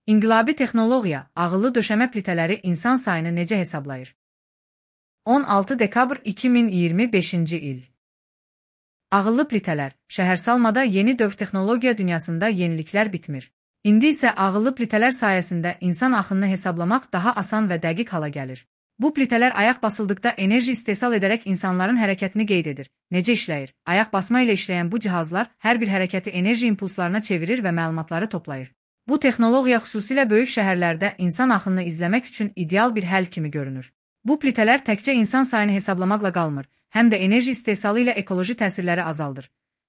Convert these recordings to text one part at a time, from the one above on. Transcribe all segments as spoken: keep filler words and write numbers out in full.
İnqilabi texnologiya, ağıllı döşəmə plitələri insan sayını necə hesablayır? on altı dekabr iki min iyirmi beşinci il. Ağıllı plitələr, şəhərsalmada yeni dövr texnologiya dünyasında yeniliklər bitmir. İndi isə ağıllı plitələr sayəsində insan axınını hesablamaq daha asan və dəqiq hala gəlir. Bu plitələr ayaq basıldıqda enerji istehsal edərək insanların hərəkətini qeyd edir. Necə işləyir? Ayaq basma ilə işləyən bu cihazlar hər bir hərəkəti enerji impulslarına çevirir və məlumatları toplayır. Bu texnologiya xüsusilə böyük şəhərlərdə insan axınını izləmək üçün ideal bir həll kimi görünür. Bu plitələr təkcə insan sayını hesablamaqla qalmır, həm də enerji istehsalı ilə ekoloji təsirləri azaldır.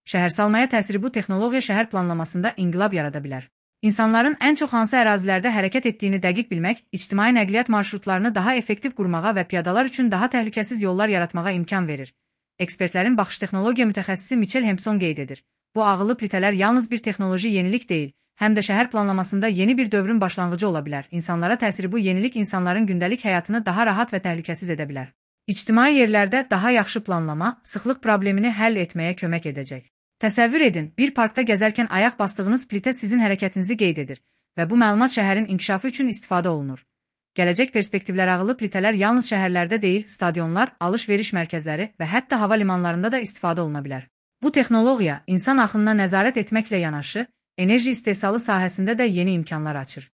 Şəhərsalmaya təsiri bu texnologiya şəhər planlamasında inqilab yarada bilər. İnsanların ən çox hansı ərazilərdə hərəkət etdiyini dəqiq bilmək, ictimai nəqliyyat marşrutlarını daha effektiv qurmağa və piyadalar üçün daha təhlükəsiz yollar yaratmağa imkan verir. Ekspertlərin baxış texnologiya mütəxəssisi Michel Hempson qeyd edir. Bu ağıllı plitələr yalnız bir texnoloji yenilik deyil, həm də şəhər planlamasında yeni bir dövrün başlanğıcı ola bilər. İnsanlara təsiri bu yenilik insanların gündəlik həyatını daha rahat və təhlükəsiz edə bilər. İctimai yerlərdə daha yaxşı planlama, sıxlıq problemini həll etməyə kömək edəcək. Təsəvvür edin, bir parkda gəzərkən ayaq bastığınız plitə sizin hərəkətinizi qeyd edir və bu məlumat şəhərin inkişafı üçün istifadə olunur. Gələcək perspektivlər ağıllı plitələr yalnız şəhərlərdə deyil, stadionlar, alış-veriş mərkəzləri və hətta hava limanlarında da istifadə oluna bilər. Bu texnologiya insan axınına nəzarət etməklə yanaşı, enerji istehsalı sahəsində də yeni imkanlar açır.